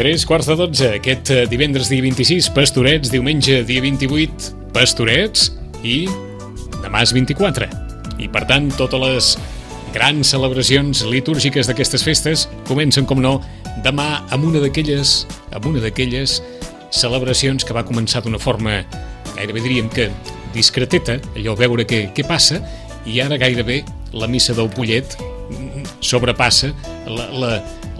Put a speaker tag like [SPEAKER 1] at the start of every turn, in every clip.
[SPEAKER 1] 3:45, aquest divendres dia 26, Pastorets, diumenge dia 28, Pastorets, i demà és 24. I per tant, totes les grans celebracions litúrgiques d'aquestes festes comencen, com no, demà amb una d'aquelles celebracions que va començar d'una forma, gairebé diríem que discreteta, allò veure què passa, i ara gairebé la missa del Pollet sobrepassa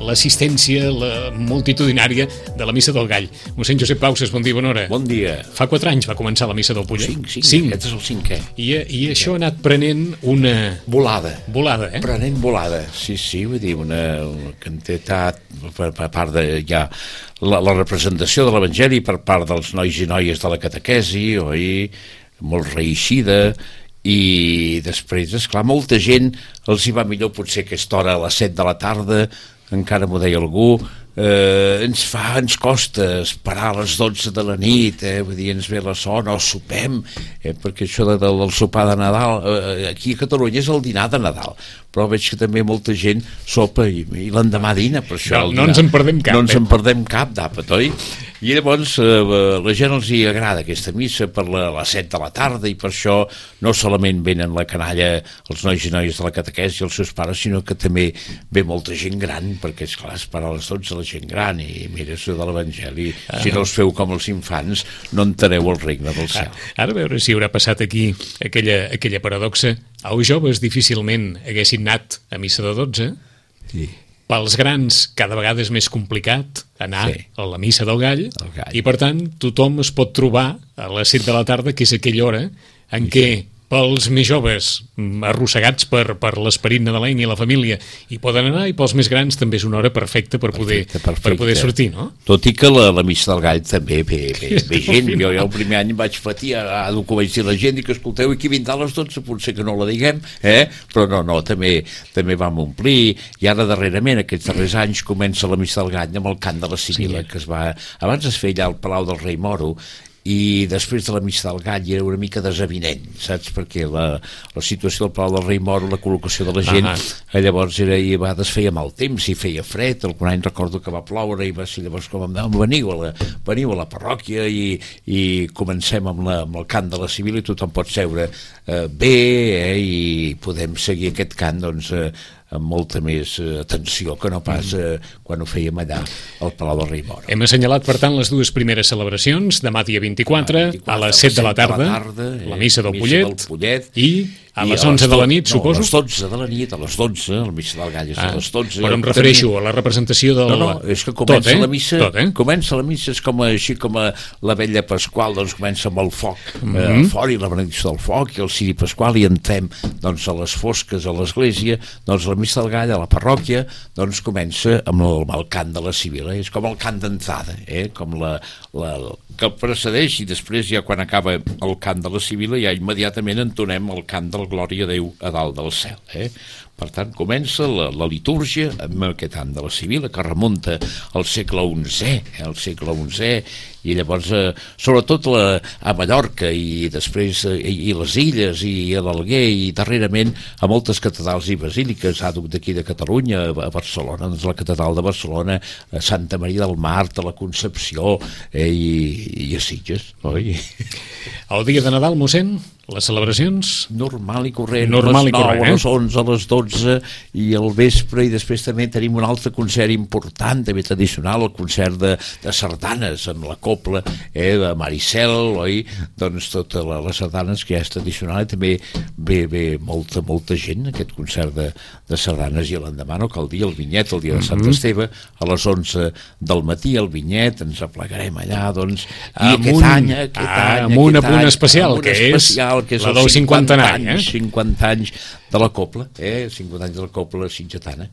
[SPEAKER 1] l'assistència multitudinària de la missa del Gall. Mossèn Josep Pauses, bon dia, bona hora.
[SPEAKER 2] Bon dia.
[SPEAKER 1] Fa 4 anys va començar la missa del Pollet.
[SPEAKER 2] 5. Aquest és el 5è.
[SPEAKER 1] I això ha anat prenent una...
[SPEAKER 2] Volada,
[SPEAKER 1] Prenent
[SPEAKER 2] volada, sí, vull dir, una quantitat per part de ja la representació de l'Evangeli per part dels nois i noies de la catequesi, oi? Molt reeixida, i després, esclar, molta gent els hi va millor potser aquesta hora a les 7 de la tarda, encara m'ho deia algú, ens costa esperar a les 12 de la nit, vull dir, ens ve la son, o sopem, perquè això del sopar de Nadal, aquí a Catalunya és el dinar de Nadal, però veig que també molta gent sopa i l'endemà dina, per això
[SPEAKER 1] no ens en perdem cap.
[SPEAKER 2] No ens en perdem cap d'àpat, oi? I llavors la gent els hi agrada aquesta missa per les 7 de la tarda, i per això no solament venen la canalla, els nois i noies de la catequesi i els seus pares, sinó que també ve molta gent gran, perquè esclar, esperar a les 12 la gent gran, i mira això de l'Evangeli, si no us feu com els infants no entrareu al regne del cel.
[SPEAKER 1] Ara a veure si haurà passat aquí aquella paradoxa. Els joves difícilment haguessin anat a missa de 12.
[SPEAKER 2] Sí.
[SPEAKER 1] Pels grans cada vegada és més complicat anar a la missa del Gall, i per tant tothom es pot trobar a les 7 de la tarda, que és aquella hora en què pels més joves arrossegats per l'esperit nadalenc i la família hi poden anar, i pels més grans també és una hora perfecta per poder sortir, no?
[SPEAKER 2] Tot i que la missa del Gall també ve gent. Jo el primer any vaig patir, ara ho vaig dir a la gent, i que escolteu, aquí vindrà a les 12, potser que no la diguem, però no, també vam omplir, i ara darrerament, aquests darrers anys, comença la missa del Gall amb el cant de la Sibila, que abans es feia allà al Palau del Rei Moro, i després de la missa del Gall era una mica desavinent, saps? Perquè la situació del Palau del Rei Moro, la col·locació de la gent, llavors a vegades feia mal temps i feia fred. Algun any recordo que va ploure, i va ser llavors com em deuen, veniu a la parròquia i comencem amb el cant de la Sibila, i tothom pot seure bé, i podem seguir aquest cant, doncs, amb molta més atenció que no pas quan ho fèiem allà al Palau del Rei Moro.
[SPEAKER 1] Hem assenyalat, per tant, les dues primeres celebracions, demà dia 24, a les 7 de la tarda, la missa del Pollet, i a les 11 de la nit, suposo?
[SPEAKER 2] A les 12 de la nit, a les 12, la missa del Gall és a les 12.
[SPEAKER 1] Però em refereixo a la representació del...
[SPEAKER 2] No, és que comença la missa, és com així com la vetlla pasqual, doncs comença amb el foc fora, i la benedicció del foc, i el ciri pasqual, i entrem doncs a les fosques a l'església, doncs la missa del Gall a la parròquia, doncs comença amb el cant de la Sibila, és com el cant d'entrada, com que el precedeix, i després ja quan acaba el cant de la Sibila ja immediatament entonem el cant del Glòria a Déu a dalt del cel. Per tant, comença la litúrgia amb aquest cant de la Sibila, que remunta al segle XI, i llavors, sobretot a Mallorca, i després i les Illes, i a l'Alguer, i darrerament a moltes catedrals i basíliques, d'aquí de Catalunya, a Barcelona, doncs la catedral de Barcelona, a Santa Maria del Mar, a la Concepció, i a Sitges, oi?
[SPEAKER 1] El dia de Nadal, mossèn, les celebracions?
[SPEAKER 2] Normal i corrent, a les 9, a les 11, a les 12, i al vespre, i després també tenim un altre concert important, també tradicional, el concert de sardanes, amb la copla de Maricel, oi? Doncs totes les sardanes que ja és tradicional, i també ve molta gent, aquest concert de sardanes, i l'endemà no cal dir el vinyet, el dia de Sant Esteve, a les 11 del matí, el vinyet, ens aplegarem allà, doncs, i aquest any,
[SPEAKER 1] amb un apunt especial, que és la del 50 anys,
[SPEAKER 2] 50 anys de la copla, 50 anys de la copla sitgetana,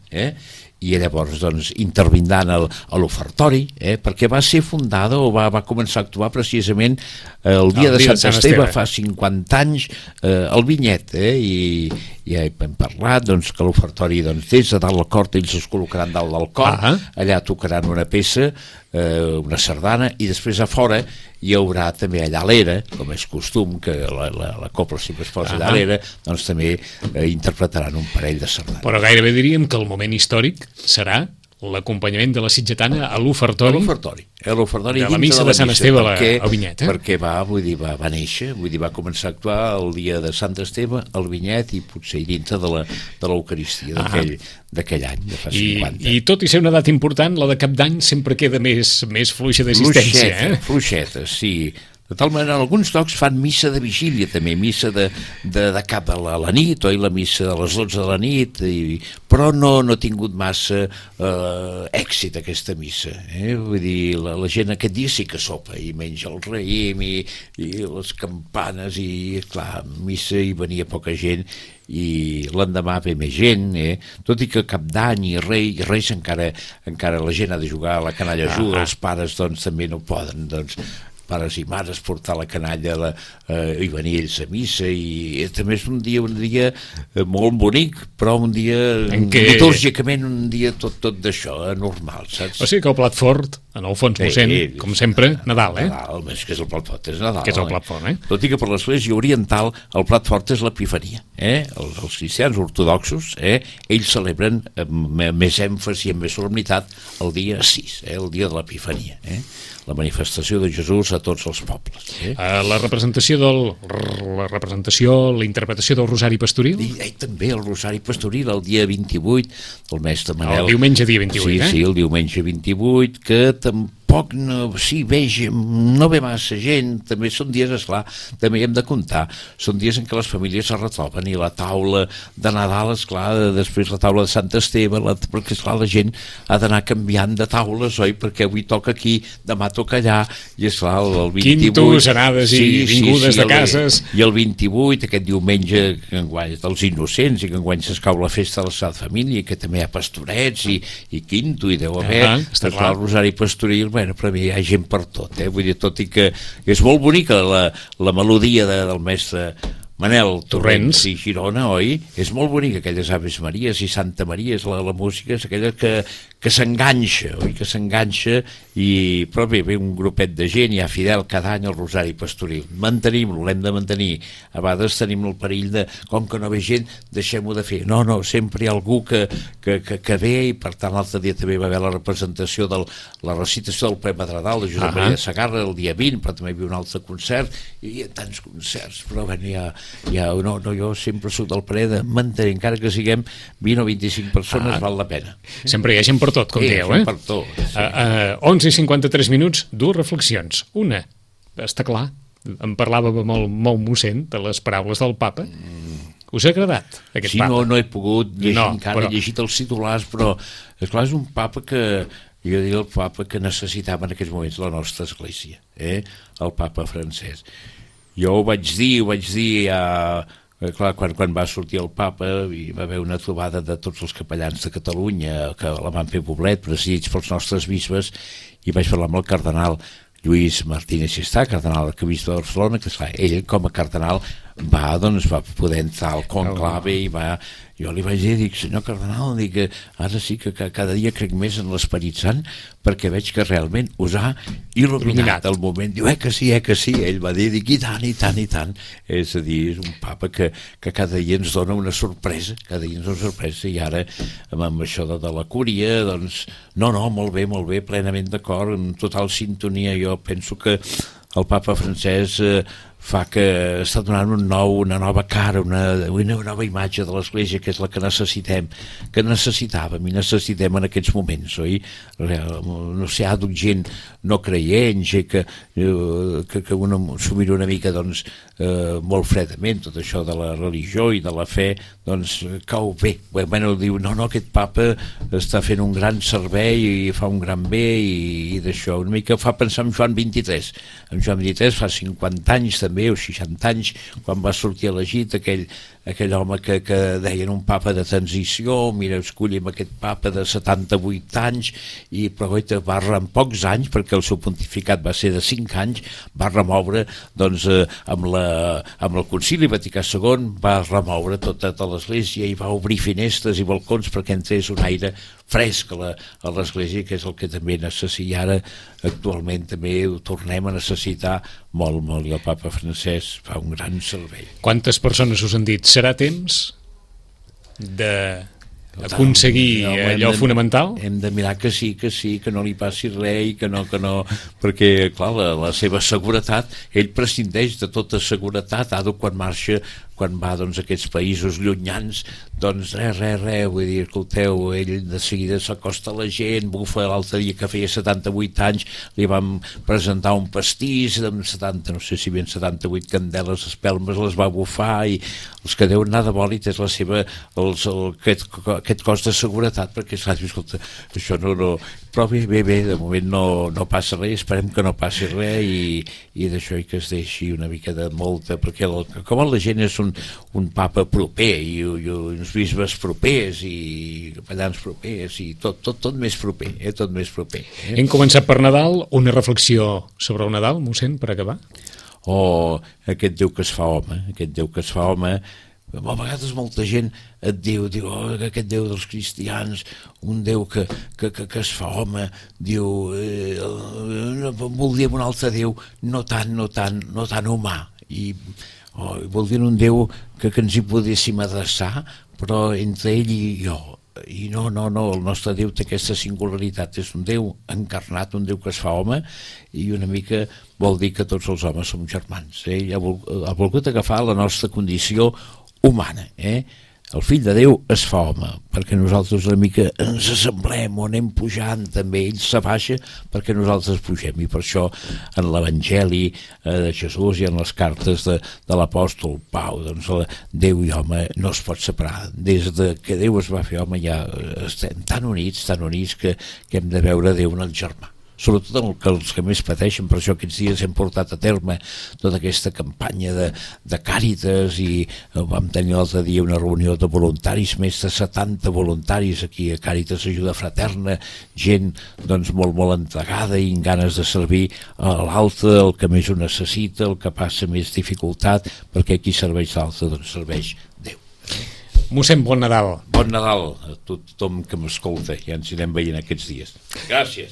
[SPEAKER 2] i llavors doncs intervindran a l'ofertori, perquè va ser fundada o va començar a actuar precisament el dia de Sant Esteve, fa 50 anys, el vinyet, i ja hem parlat doncs, que l'ofertori des de dalt del cor ells es col·locaran dalt del cor, allà tocaran una peça, una sardana, i després a fora hi haurà també allà a l'era, com és costum que la copla sempre es posa allà a l'era, doncs també interpretaran un parell de sardanes.
[SPEAKER 1] Però gairebé diríem que el moment històric serà
[SPEAKER 2] l'acompanyament
[SPEAKER 1] de la sitgetana a l'ofertori
[SPEAKER 2] de
[SPEAKER 1] la missa de Sant Esteve al Vinyet.
[SPEAKER 2] Perquè va néixer, va començar a actuar el dia de Sant Esteve al Vinyet i potser dintre de l'Eucaristia d'aquell any, de fa 50.
[SPEAKER 1] I tot i ser una data important, la de Cap d'Any sempre queda més fluixa d'assistència.
[SPEAKER 2] Fluixeta, sí. De tal manera, alguns llocs fan missa de vigília també, missa de cap a la nit, oi, la missa a les 12 de la nit, però no ha tingut massa èxit aquesta missa. Vull dir, la gent aquest dia sí que sopa i menja el raïm i les campanes i, clar, missa hi venia poca gent i l'endemà ve més gent, tot i que Cap d'Any i Reis encara la gent ha de jugar, la canalla juga, els pares doncs també no poden, doncs pares i mares portar la canalla i venir ells a missa, i també és un dia molt bonic, però un dia litúrgicament un dia tot d'això, normal, saps?
[SPEAKER 1] O sigui que el plat fort, en el fons mossèn, com sempre, Nadal,
[SPEAKER 2] Nadal, més que és el plat fort, és Nadal.
[SPEAKER 1] Que és el plat fort,
[SPEAKER 2] Tot i que per l'Església Oriental el plat fort és l'Epifania, els cristians ortodoxos, ells celebren amb més èmfasi i amb més solemnitat el dia 6, el dia de l'Epifania, la manifestació de Jesús a tots els pobles.
[SPEAKER 1] La interpretació del Rosari Pastoril?
[SPEAKER 2] També el Rosari Pastoril, el dia 28, el mes de Manel.
[SPEAKER 1] El diumenge dia 28,
[SPEAKER 2] Sí, el diumenge 28, que tampoc no ve massa gent, també són dies, esclar, també hi hem de comptar, són dies en què les famílies es retroben i la taula de Nadal, esclar, després la taula de Sant Esteve, perquè esclar, la gent ha d'anar canviant de taules, oi? Perquè avui toca aquí, demà toca allà, i esclar, el 28...
[SPEAKER 1] Quintos, anades i vingudes de cases...
[SPEAKER 2] I el 28, aquest diumenge, dels innocents, i que enguany s'escau la festa de la Sagrada Família, que també hi ha pastorets i quinto, i deu haver, el Rosari Pastoril, però hi ha gent per tot, vull dir, tot i que és molt bonica la melodia del mestre Manel Torrents i Girona, oi? És molt bonica, aquelles Aves Maries i Santa Maria, la música és aquella que s'enganxa, oi? Que s'enganxa, però bé, ve un grupet de gent, hi ha fidel cada any al Rosari Pastoril. Mantenim-lo, l'hem de mantenir. A vegades tenim el perill de, com que no ve gent, deixem-ho de fer. No, sempre hi ha algú que ve, i per tant l'altre dia també va haver la representació de la recitació del poema de Nadal de Josep Maria Sagarra el dia 20, però també hi havia un altre concert, i hi ha tants concerts, però bueno, jo sempre soc del parer de mantenir, encara que siguem 20 o 25 persones, val la pena.
[SPEAKER 1] Sempre hi ha gent per tot, com dieu,
[SPEAKER 2] per tot.
[SPEAKER 1] 11 i 53 minuts, dues reflexions. Una, està clar, em parlava molt mossèn de les paraules del papa. Us ha agradat, aquest papa?
[SPEAKER 2] Sí, no he pogut llegir encara, he llegit els titulars, però esclar, és un papa que... Jo diria el papa que necessitava en aquests moments la nostra església, el papa francès. Jo ho vaig dir clar, quan va sortir el papa hi va haver una trobada de tots els capellans de Catalunya que la van fer Poblet, presidits pels nostres bisbes, i vaig parlar amb el cardenal Lluís Martínez Xistà, cardenal arquebisbe de Barcelona, que esclar, ell com a cardenal va poder entrar al conclave i jo li vaig dir, dic, senyor cardenal, dic, ara sí que cada dia crec més en l'Esperit Sant, perquè veig que realment us ha il·luminat el moment. Diu, que sí, ell va dir, dic, i tant. És a dir, és un papa que cada dia ens dona una sorpresa, i ara amb això de la cúria, doncs, no, molt bé, plenament d'acord, en total sintonia. Jo penso que el papa francès fa que està donant una nova cara, una nova imatge de l'Església, que és la que necessitàvem i necessitem en aquests moments, oi? No sé, hi ha gent no creient, que s'ho mira una mica, doncs, molt fredament, tot això de la religió i de la fe, doncs cau bé. Bueno, diu, no, aquest papa està fent un gran servei i fa un gran bé, i d'això una mica fa pensar en Joan XXIII. En Joan XXIII fa 50 anys també, o 60 anys, quan va sortir elegit aquell home que deien un papa de transició, mira, escollim aquest papa de 78 anys, però en pocs anys, perquè el seu pontificat va ser de 5 anys, va remoure, doncs, amb el Concili Vaticà II, va remoure tota l'Església i va obrir finestres i balcons perquè entrés un aire fresc a l'Església, que és el que també necessita, i ara actualment també ho tornem a necessitar molt, i el papa francès fa un gran servei.
[SPEAKER 1] Quantes persones us han dit, serà temps de aconseguir allò fonamental?
[SPEAKER 2] Hem de mirar que sí, que no li passi res i que no, perquè, clar, la seva seguretat, ell prescindeix de tota seguretat, quan marxa, quan va a aquests països llunyans, doncs res, vull dir, escolteu, ell de seguida s'acosta a la gent, bufa. L'altre dia que feia 78 anys li vam presentar un pastís amb 70, no sé si ben 78 candeles, espelmes, les va bufar, i els que deuen anar de bòlit és la seva, aquest cos de seguretat, perquè escolta, això no, però bé, de moment no passa res, esperem que no passi res, i d'això i que es deixi una mica de molta, perquè com la gent és un papa proper i uns bisbes propers i capellans propers i tot més proper, tot més proper.
[SPEAKER 1] Hem començat per Nadal, una reflexió sobre el Nadal, mossèn, per acabar?
[SPEAKER 2] Aquest Déu que es fa home, a vegades molta gent et diu aquest Déu dels cristians, un Déu que es fa home, diu voldríem un altre Déu no tan humà, i voldrien un Déu que ens hi podéssim adreçar, però entre ell i jo. I no, el nostre Déu té aquesta singularitat, és un Déu encarnat, un Déu que es fa home, i una mica vol dir que tots els homes som germans. Ell ha volgut agafar la nostra condició humana, El fill de Déu es fa home, perquè nosaltres una mica ens assemblem o anem pujant, també ell s'abaixa perquè nosaltres pugem, i per això en l'Evangeli de Jesús i en les cartes de l'apòstol Pau, doncs Déu i home no es pot separar. Des que Déu es va fer home ja estem tan units que hem de veure Déu en el germà. Sobretot els que més pateixen, per això aquests dies hem portat a terme tota aquesta campanya de Càritas, i vam tenir l'altre dia una reunió de voluntaris, més de 70 voluntaris aquí a Càritas Ajuda Fraterna, gent doncs molt entregada i amb ganes de servir a l'altre, el que més ho necessita, el que passa més dificultat, perquè qui serveix l'altre doncs serveix Déu.
[SPEAKER 1] Mossèn, bon Nadal.
[SPEAKER 2] Bon Nadal a tothom que m'escolta, ja ens anirem veient aquests dies. Gràcies.